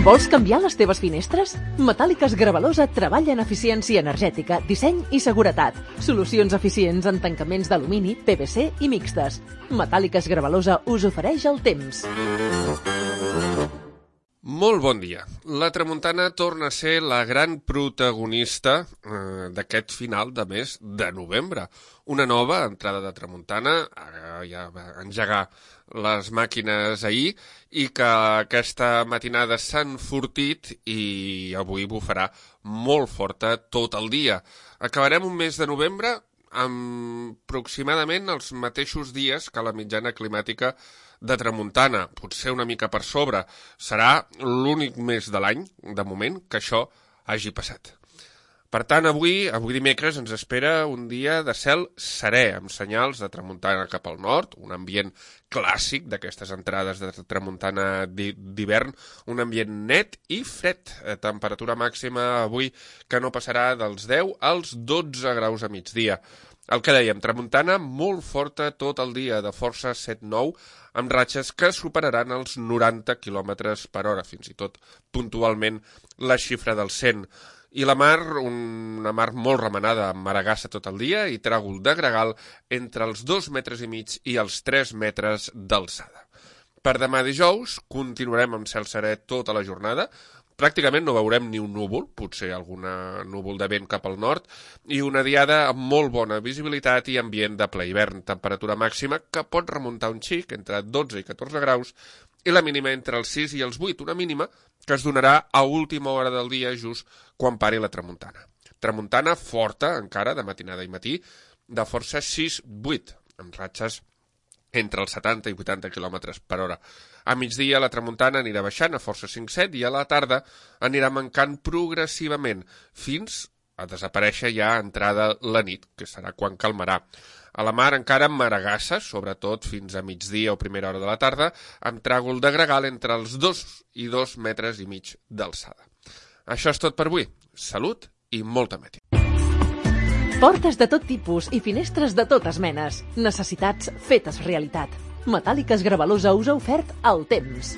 Vols canviar les teves finestres? Metàl·liques Gravalosa treballa en eficiència energètica, disseny i seguretat. Solucions eficients en tancaments d'alumini, PVC i mixtes. Metàl·liques Gravalosa us ofereix el temps. Molt bon dia. La tramuntana torna a ser la gran protagonista d'aquest final de mes de novembre. Una nova entrada de tramuntana, ja va engegar les màquines ahir i que aquesta matinada s'ha enfortit i avui bufarà molt forta tot el dia. Acabarem un mes de novembre amb aproximadament els mateixos dies que la mitjana climàtica de tramuntana, potser una mica per sobre. Serà l'únic mes de l'any, de moment, que això hagi passat. Per tant, avui dimecres, ens espera un dia de cel serè, amb senyals de tramuntana cap al nord, un ambient clàssic d'aquestes entrades de tramuntana d'hivern, un ambient net i fred. Temperatura màxima avui que no passarà dels 10 als 12 graus a migdia. El que dèiem, tramuntana molt forta tot el dia, de força 7-9, amb ratxes que superaran els 90 km per hora, fins i tot puntualment la xifra del 100. I la mar, una mar molt remenada, amb maragassa tot el dia i tràgol de gregal entre els 2,5 metres i els 3 metres d'alçada. Per demà dijous continuarem amb cel serè tota la jornada. Pràcticament no veurem ni un núvol, potser algun núvol de vent cap al nord, i una diada amb molt bona visibilitat i ambient de ple hivern. Temperatura màxima que pot remuntar un xic entre 12 i 14 graus i la mínima entre els 6 i els 8, una mínima que es donarà a última hora del dia just quan pari la tramuntana. Tramuntana forta encara de matinada i matí, de força 6-8, amb ratxes entre els 70 i 80 km per hora. A migdia la tramuntana anirà baixant a força 5-7 i a la tarda anirà mancant progressivament fins a desaparèixer ja entrada la nit, que serà quan calmarà. A la mar encara amb maragassa, sobretot fins a migdia o primera hora de la tarda, amb tràgol de gregal entre els 2 i 2,5 metres d'alçada. Això és tot per avui. Salut i molta mètia. Portes de tot tipus i finestres de totes menes. Necessitats fetes realitat. Metàl·liques Gravalosa us ha ofert el temps.